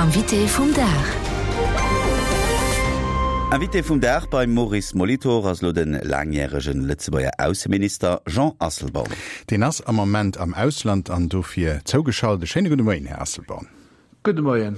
Invité vum Dag. Invité vum Dag beim Maurice Molitor ass elo de laangjäregen Lëtzebuerger Ausseminister Jean Asselborn. Deen ass am Moment am Ausland an dofir zougeschalt. E schéine gudde Moien, Här Asselborn. Gudde Moien,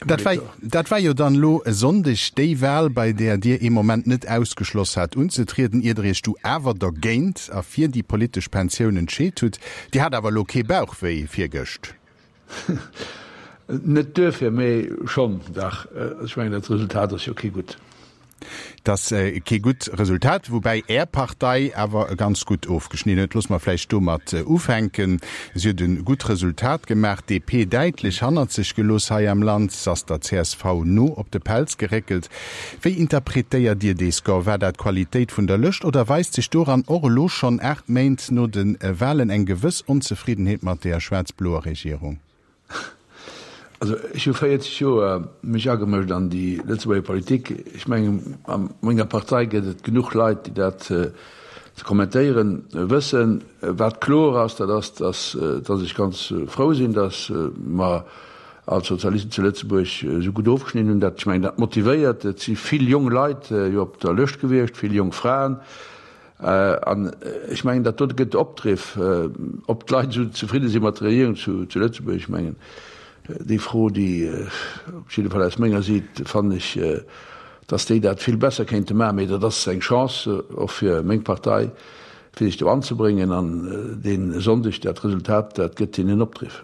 Här Molitor. Dat war jo dann elo e Sonndeg déi Wahl, bei där Dir ee Moment net ausgeschloss hat unzetrieden, ier Der Iech du awer dergéint a fir déi politesch Pensioun entscheet hutt. Dir hat awer elo kee Bauchwéi virgëscht? Net duerfir, mee schonn, dach. Ech mengen, dat Resultat ass jo kee gutt. Et ass kee gutt Resultat, woubäi Är Partei awer ganz gutt ofgeschnidden huet. Loosse mer vläicht domat ufänken. Si huet e gutt Resultat gemaach, d'DP däitlech hannert sech gelooss hei am Land. Se ass der csv no op de Pelz geréckelt. Wéi interpretéiert Dir dee Score? War dat d'Qualitéit vun der Lëscht oder weist sech doran och elo schonn, 8 Méint no de Walen, eng gewëss Onzefriddenheet mat der schwaarz-bloer Regierung? Also ech hu 40 Joer mech agemëscht an déi Lëtzebuerger Politik. Ech mengen, a menger Partei gëtt et genuch Leit, déi dat ze kommentéieren wëssen. Wat kloer ass, dat ass, datt ech ganz frou sinn, datt mer als Sozialisten zu Lëtzebuerg esou gutt ofgeschnidden hunn. Dat, ech mengen, dat motivéiert. Et si vill jong Leit jo op der Lëscht gewiescht, vill jong Fraen. An ech mengen, dat dote gëtt Opdriff. Ob d'Leit esou zefridde si mat der Regierung zu Lëtzebuerg, ech mengen, déi Fro, déi, op jidde Fall aus menger Siit, fannen ech, datt déi dat vill besser kéinte maachen. Mee dat ass eng Chance och fir meng Partei, fir sech do anzebréngen. An dee Sonndeg, dat Resultat, dat gëtt hinnen Opdriff.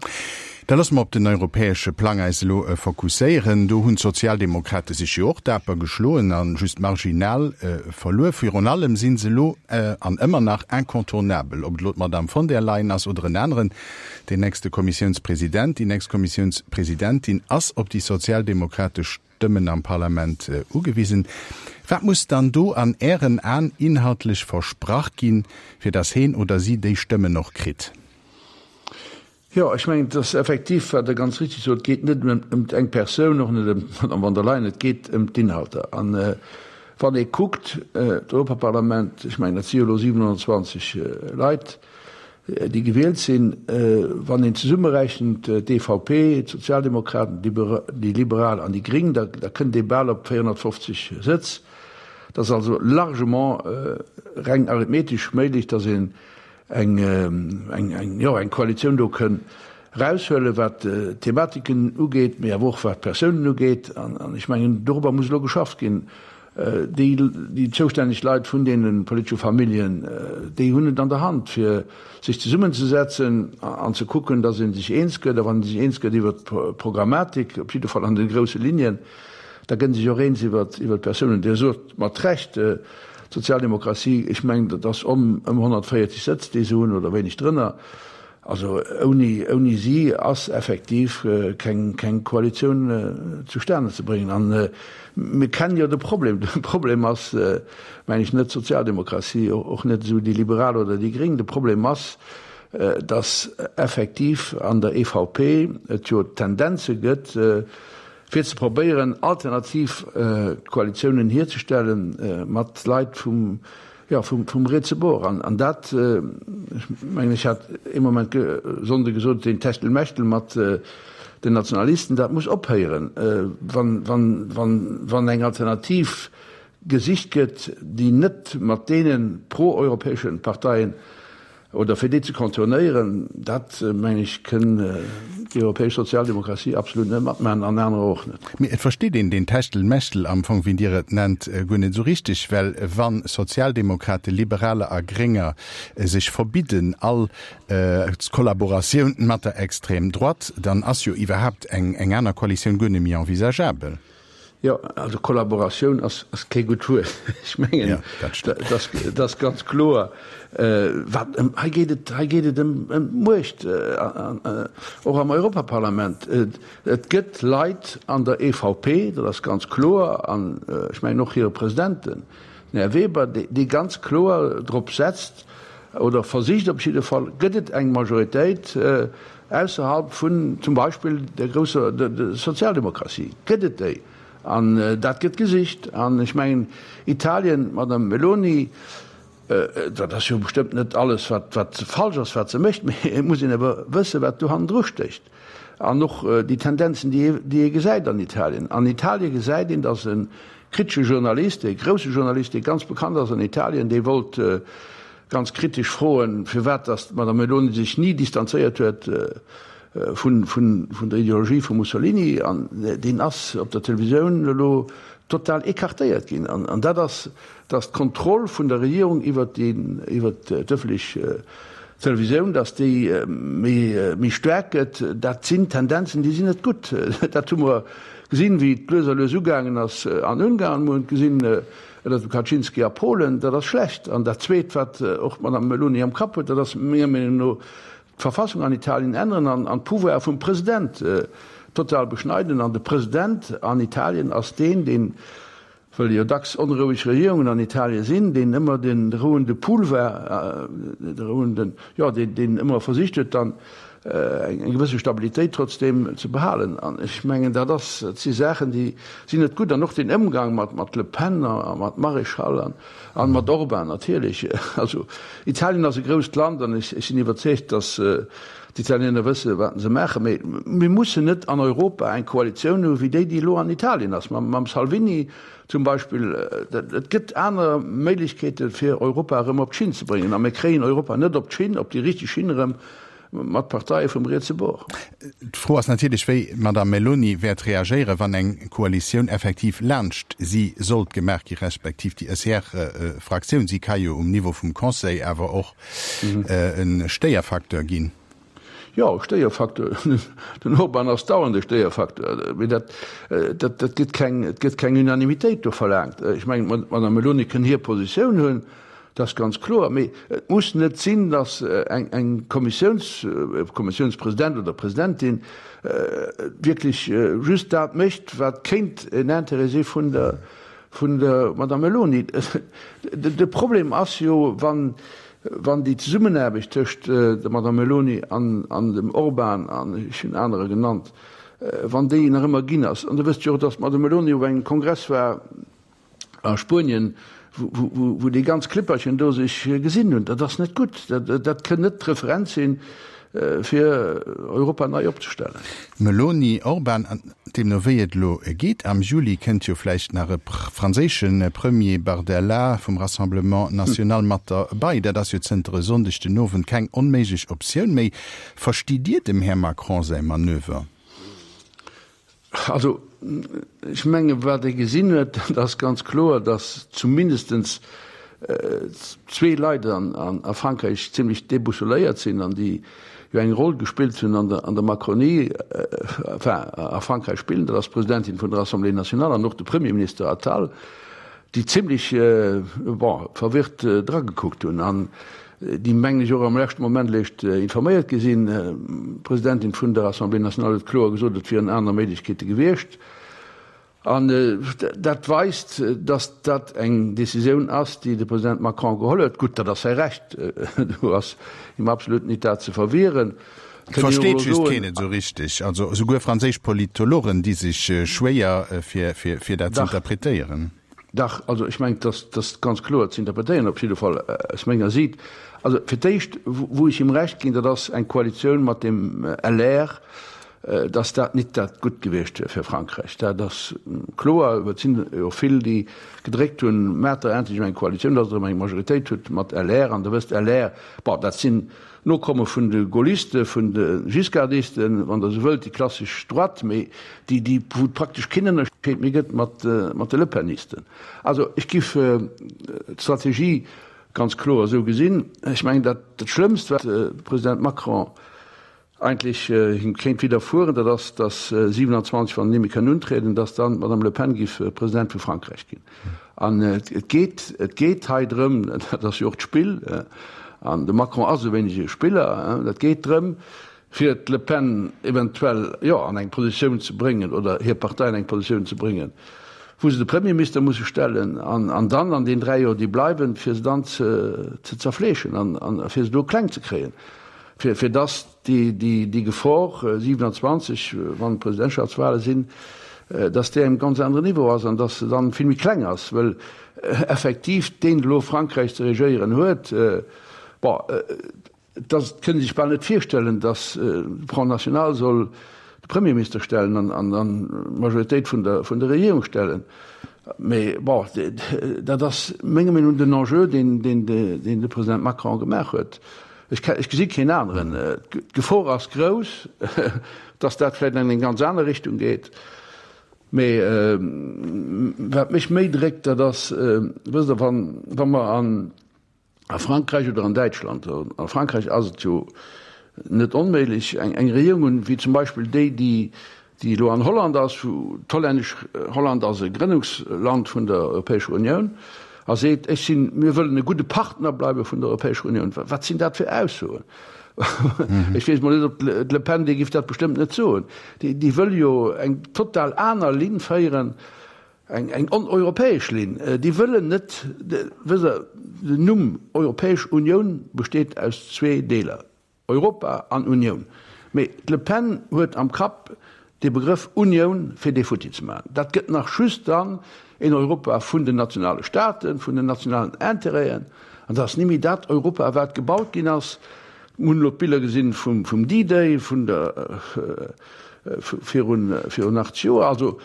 Da loosse mer op den europäesche Plang eis elo fokusséieren. Do hunn d'Sozialdemokrate sech jo och daper geschloen a just marginal verluer. Virun allem si se elo an ëmmer nach incontournabel, ob et elo d'Madame von der Leyen ass oder en aneren. Deen nächste Kommissiounspresident, déi nächst Kommissiounspresidentin ass op déi sozialdemokratesch Stëmmen am Parlament ugewisen. Wat muss dann do an Ären Aen inhaltlech versprach ginn, fir datt heen oder si déi Stëmmen och kritt? Jo, ech mengen, et ass effektiv, wat Der ganz richtig sot, et geet net ëm eng Persoun, och net ëm d'Madame von der Leyen, et geet ëm d'Inhalter. An wann ee kuckt, d'Europaparlament, ech mengen, dat si jo elo 720 Leit, déi gewielt sinn, wann een zesummerechent d'EVP, d'Sozialdemokraten, déi Liberal an déi Gring, da kënnt ee bal op 450 Sëtz. Et ass also largement reng arithmetesch méiglech, datt een eng, eng, jo, eng Koalitioun do kënn eraushuelen, wat d'Thematiken ugeet, mee awer och wat d'Persounen ugeet. An ech mengen, dorobber muss elo geschafft ginn. Déi, déi zoustänneg Leit vun deene politesche Familljen, déi hunn et an der Hand, fir sech zesummenzesetzen an ze kucken, datt ee sech eens gëtt. A wann ee sech eens gëtt iwwert d'Programmatik, op jidde Fall an de grousse Linien, da gëtt ee sech och eens iwwert d'Persounen. Dir sot mat Recht, D'Sozialdemokratie, ech mengen, dat ass ëm 140 Sëtz, déi se hunn, oder wéineg drënner. Also ouni, ouni si ass effektiv keng, keng Koalitioun zustane ze bréngen. An mir kennen jo de Problem. De Problem ass, mengen ech, net d'Sozialdemokratie, och net esou déi Liberal oder déi Gréng. De Problem ass, datt effektiv an der EVP et jo Tendenze gëtt, fir ze probéieren alternativ Koalitiounen hierzestellen mat Leit vum, jo, vum rietse Bord. An dat, ech mengen, ech hat ee Moment Sonnde gesot, deen Techtelmechtel mat den Nationalisten, dat muss ophéieren. Wann, wann, wann, wann eng Alternativ gesicht gëtt, déi net mat deene pro-europäesche Parteien Oder fir déi ze contournéieren, dat, mengen ech, kënn déi europäesch Sozialdemokratie absolut net matmaachen an anerer och net. Mee et versteet een deen Techtelmechtel am Fong, wéi Dir et nennt, guer net esou richteg, well wa Sozialdemokraten, Liberaler a Grénger sech verbidden all Kollaboratioun mat der Extrême droite, dann ass jo iwwerhaapt eng aner Koalitioun guer net méi envisageabel. Jo, also Kollaboratioun ass kee gutt Wuert. Ech mengen, dat ass ganz kloer. Wat ëm, hei geet et, hei geet et ëm d'Muecht, och am Europaparlament. Et gëtt Leit an der EVP, dat ass ganz kloer, an ech mengen och hire President, den Här Weber, dee ganz kloer drop setzt, oder versicht op jidde Fall, gëtt et eng Majoritéit, Ausserhalb vun zum Beispill der grousser Sozialdemokratie gëtt et déi. An dat gëtt gesicht. An ech mengen, Italien, d'Madame Meloni, dat ass jo bestëmmt net alles, wat falsch ass, wat se mécht, mee et muss een awer wëssen, wat do hannendru stécht. An och déi Tendenzen, déi ee gesäit an Italien. An Italie gesäit een, datt e kritesche Journalist, e grousse Journalist, dee ganz bekannt ass an Italien, dee wollt ganz kritesch froen, firwat datt d'Madame Meloni sech ni distanzéiert huet vun der Ideologie vum Mussolini. An deen ass op der Televisioun elo total écartéiert ginn. An dat ass dass d'Kontroll vun der Regierung iwwert d'ëffentlech Televisioun, dass déi méi staark gëtt, dat sinn Tendenzen, déi sinn net gutt. Dat hu mer gesinn, wéi et lues a lues ugaangen ass an Ungarn. Mer hunn et gesinn ënnert dem Kaczynski a Polen. Dat ass schlecht. An dat Zweet, wat och d'Madame Meloni am Kapp huet, dat ass menger Meenung no d'Verfassung an Italien änneren an d'Pouvoire vum President total beschneiden. An de President an Italien ass deen, deen Wëll jo dacks onroueg Regierungen an Italie sinn, deen ëmmer de rouende Pool war, de rouenden, jo, deen, deen ëmmer versicht huet, dann eng gewësse Stabilitéit trotzdeem ze behalen. An ech mengen, dat ass, dat si Saachen, déi sinn net gutt. An och den Ëmgang mat, mat Le Pen a mat Maréchal an, an mat Orban natierlech. Also Italien ass e grousst Land an ech, ech sinn iwwerzeegt, datt D'Italiener wësse wat se maachen, mee mir mussen net an Europa eng Koalitioun hu wéi déi, déi elo an Italien ass, mam Salvini zum Beispill. Et gëtt aner Méiglechkeete fir Europa erëm op d'Schinn ze bréngen a mir kréien Europa net op d'Schinn, op déi richteg Schinn erëm mat Parteie vum rietse Bord. D'Fro ass natierlech, wéi d'Madame Meloni wäert reagéieren, wann eng Koalitioun effektiv laanscht si sollt gemaach gi, respektiv déi ECR-Fraktioun. Si ka jo um Niveau vum Conseil awer och e Stéierfacteur ginn. Jo, e Stéierfacteur. Den Orban ass dauernd e Stéierfacteur. Mee dat, dat, dat gëtt keng, et gëtt keng Unanimitéit do verlaangt. Ech mengen, d'Madame Meloni kënn hir Positioun hunn, dat ass ganz kloer. Mee et muss net sinn, datt eng, eng Kommissiouns, e Kommissiounspresident oder presidentin wierklech just dat mécht, wat kéint en Intérêt si vun der, Vun der Madame Meloni. De Problem ass jo, wann déi Zesummenaarbecht tëscht der Madame Meloni an dem Orban, an ech hunn anerer genannt, wann déi nach ëmmer ginn ass. An Der wësst jo och, datt d'Madame Meloni op engem Kongress war a Spuenien, wou déi ganz Klipperchen do sech gesinn hunn. Dat ass net gutt. Dat kënn net d'Referenz sinn, fir Europa nei opzestellen. Meloni, Orban, deemno wéi et elo geet, am Juli kënnt jo vläicht nach e franséische Premier, Bardella vum Rassemblement National, mat derbei. Dat ass jo zënter e Sonndeg den Owend keng onméiglech Optioun méi. Verstitt Dir dem Här Macron säi Manöver? Also, ech menge wat ee gesinn huet, dat ass ganz kloer, datt zumindestens zwee Leit a Frankräich zimlech déboussouléiert sinn an déi jo eng Roll gespillt hunn an der Macronie, enfin a Frankräich spillen, dat ass d'Presidentin vun der Assemblée nationale an och de Premierminister Attal, déi zimlech, bon, verwirrt dragekuckt hunn an déi, mengen ech, och am leschte Moment eréischt informéiert gi sinn. D'Presidentin vun der Assemblée nationale huet kloer gesot, et wieren aner Méiglechkeete gewiescht. An dat weist, datt dat eng Decisioun ass, déi de President Macron geholl huet. Gutt, dat ass säi Recht, do ass him absolut nit dat ze verwieren. Et versteet just keen et esou richteg. Also esouguer franséisch Politologen di sech schwéier, fir dat ze interpretéieren. Dach, also ech mengen, dat ass ganz kloer ze interpretéieren, op jidde Fall aus menger Siit. Also fir d'éischt, wou ech him Recht ginn, dat ass eng Koalitioun mat dem LR, dass dat nit dat gutt gewiescht wier fir Frankräich. Dat ass kloer. Et sinn jo vill, déi gedréckt hunn, Maacht der endlech eng Koalitioun, dass Der erëm eng Majoritéit hutt mat LR. An Der wësst, LR, bon, dat sinn Nokomme vun de Gaullisten, vun de Giscardisten, wann Der esou wëllt, déi klassesch Droite, mee déi, déi, wou et praktesch keen Ënnerscheed méi gëtt mat, mat de Lepenisten. Also ech giff d'Strategie ganz kloer esou gesinn. Ech mengen, dat, dat Schlëmmst, wat de President Macron eigentlech him kéint widderfueren, dat ass, datt 27, wann en ni méi kënn untrieden, datt dann d'Madame Le Pen giff President vu Frankräich ginn. An et geet, et geet hei drëm, dat ass jo och d'Spill, an de Macron ass e wéineg e Spiller, et geet drëm, fir d'Le Pen eventuell, jo, an eng Positioun ze bréngen oder hir Partei an eng Positioun ze bréngen, wou se de Premierminister musse stellen an, an dann an den 3 Joer, déi bleiwen, fir se dann ze, ze zerfleeschen an, an fir se do kleng ze kréien, fir, fir dass déi Gefor 27, wann d'Presidentschaftswale sinn, dass déi engem ganz aneren Niveau ass an dass se dann vill méi kleng ass, wëll effektiv deen elo Frankräich ze regéieren huet, bon, et ass, et kënnt ee sech bal net virstellen, dass de Front National soll. Premierminister stellen an an d'Majoritéit vun der vun der Regierung stellen. Mee bon, dat ass menger Meenung no den Enjeu, deen deen deen de President Macron gemaach huet. Ech ech gesi keen aneren. D'Gefor ass grouss, datt dat vläicht an eng ganz aner Richtung geet. Mee wat mech méi dréckt, dat ass, wësst Der, wann wa mer an a Frankräich oder an Däitschland, a Frankräich ass et jo net onméiglech, eng eng Regierung hunn, wéi zum Beispill déi, déi déi elo an Holland ass, wou d'hollännesch, Holland ass e Grënnungsland vun der Europäescher Unioun, a seet, ech sinn, mir wëllen e gudde Partner bleiwe vun der Europäescher Unioun. Wat sinn dat fir Aussoen? Ech weess mol net, ob d'Le Pen, déi géif dat bestëmmt net soen. Déi, déi wëll jo eng total aner Linn féieren, eng, eng oneuropäesch Linn. Déi wëllen net, wësst Der, den Numm Europäesch Unioun besteet aus zwee Deeler, Europa an Unioun. Mee d'Le Pen huet am Kapp dee Begrëff Unioun fir dee futti ze maachen. Dat gëtt nach just dann een Europa vun den nationale Staaten, vun den nationalen Intérêten. An dat ass nimmi dat Europa, wat gebaut ginn ass. Mir hunn elo d'Biller gesinn vum D-Day vun der virun 80 Joer. Also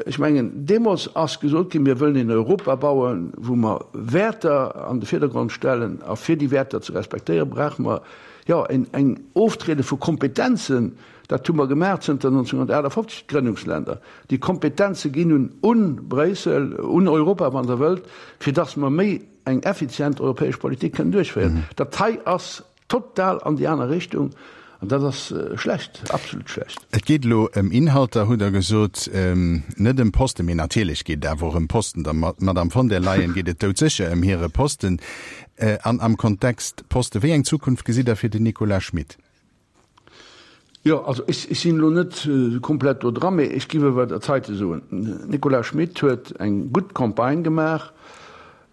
Ech mengen, deemools ass gesot ginn, mir wëllen een Europa bauen, wou mer Wäerter an de Virdergrond stellen, a fir déi Wäerter ze respektéieren, brauche mer, jo, eng Oftriede vu Kompetenzen. Dat hu mer gemaach zënter 1958, d'Grënnungsländer. Déi Kompetenze ginn un un Bréissel, un Europa, wann Der wëllt, fir datt mer méi eng effizient europäesch Politik kënnen duerchféieren. Dat hei ass Total an déi aner Richtung, an dat ass schlecht, absolut schlecht. Et geet elo ëm Inhalter, hutt Der gesot, net ëm Posten. Mee natierlech geet et awer och ëm Posten. Der Madamm von der Leyen geet et doudsécher ëm hire Posten. An am Kontext Posten, wéi eng Zukunft gesitt Der fir den Nicolas Schmit? Jo, also ech sinn elo net komplett do dran, mee ech géif awer dat heite soen, Nicolas Schmit huet eng gutt Campagne gemaach.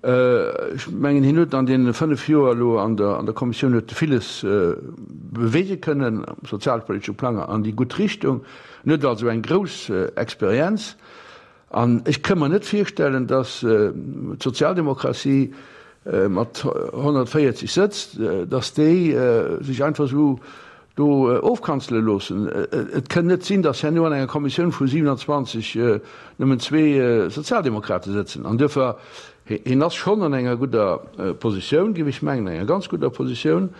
Ech mengen, hien huet an deene 5 Joer elo an der an der Kommissioun huet e villes beweege kënnen am sozialpolitesche Plang an déi gutt Richtung. En huet also eng grouss Experienz. An ech ka mer net virstellen, datt d'Sozialdemokratie mat 140 Sëtz, datt déi sech einfach esou do ofkanzele loossen. Et kënn net sinn, datt herno an enger Kommissioun vu 27 nëmmen zwee Sozialdemokrate sëtzen. An duerfir, hien ass schonn an enger gudder Positioun, géif ech mengen, enger ganz gudder Positioun.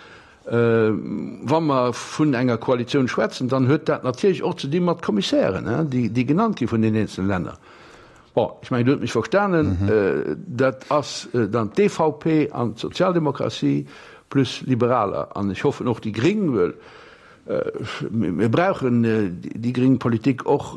Wa mer vun enger Koalitioun schwätzen, dann huet dat natierlech och ze di mat Kommissären, déi genannt gi vun den eenzele Länner. Bon, ech mengen, Dir hutt mech verstanen. Dat ass dann d'EVP an d'Sozialdemokratie plus Liberaler an ech hoffen och déi Gréng, well mir brauchen déi gréng Politik och,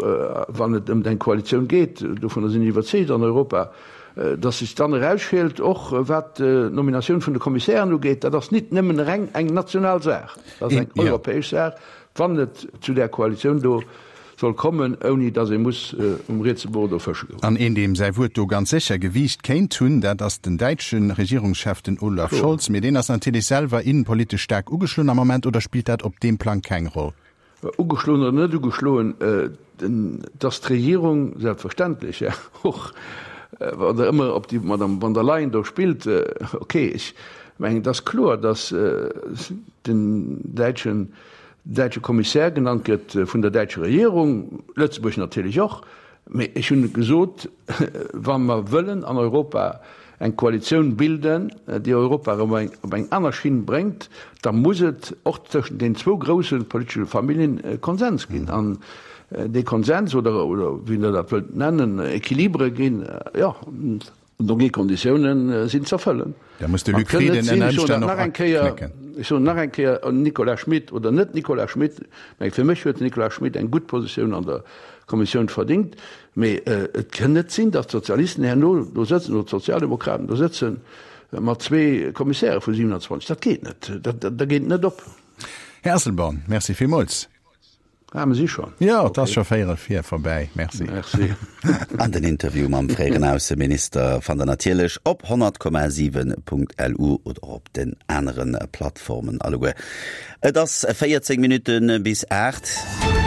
wann et ëm eng Koalitioun geet. Dovunner sinn ech iwwerzeegt an Europa. Dass sech dann erausschielt, och wat d'Nominatioun vun de Kommissären ugeet, dat ass nit nëmmen reng eng national Saach, dat ass eng europäesch Saach, wann et zu där Koalitioun do soll kommen, ouni dass ee muss um rietse Bord do fësche goen. An een, deem säi Wuert do ganz sécher Gewiicht kéint hunn, dat ass den däitsche Regierungschef, den Olaf Scholz. Mee deen ass natierlech selwer innenpolitesch staark ugeschloen am Moment, oder spillt dat op deem Plang keng Roll? Ugeschloen oder net ugeschloen, dass d'Regierung selbstverständlech och, wann Der ëmmer op déi Madame von der Leyen do spillt, okay, ech mengen, et ass kloer, dass den däitschen, däitsche Kommissär genannt gëtt vun der däitscher Regierung, Lëtzebuerg natierlech och. Mee ech hunn gesot, wa mer wëllen an Europa eng Koalitioun bilden, déi Europa erëm op eng aner Schinn bréngt, da muss et och tëschent den zwou grousse politesche Familljen e Konsens ginn. An dee Konsens, oder wéi Der dat wëllt nennen, Equilibre ginn, jo, Do gi Konditiounen sinn z'erfëllen. Da muss de Luc Frieden ënner Ëmstänn och aknécken. Ech soen nach eng Kéier, Nicolas Schmit oder net Nicolas Schmit, mä fir mech huet den Nicolas Schmit eng gutt Positioun an der Kommissioun verdingt. Mee et kënn net sinn, datt d'Sozialisten herno do sëtzen oder d'Sozialdemokraten do sëtze mat zwee Kommissäre vu 27. Dat geet net. Dat geet net op. Här Asselborn, Merci villmools. Ah, mir si schon. Jo, et ass scho véierel vir vorbäi. Merci. Merci. An den Interview mam fréieren Ausseminister fannt der natierlech op 100,7.lu oder och op den anere Plattformen alleguer. Et ass 14 Minutte bis 8.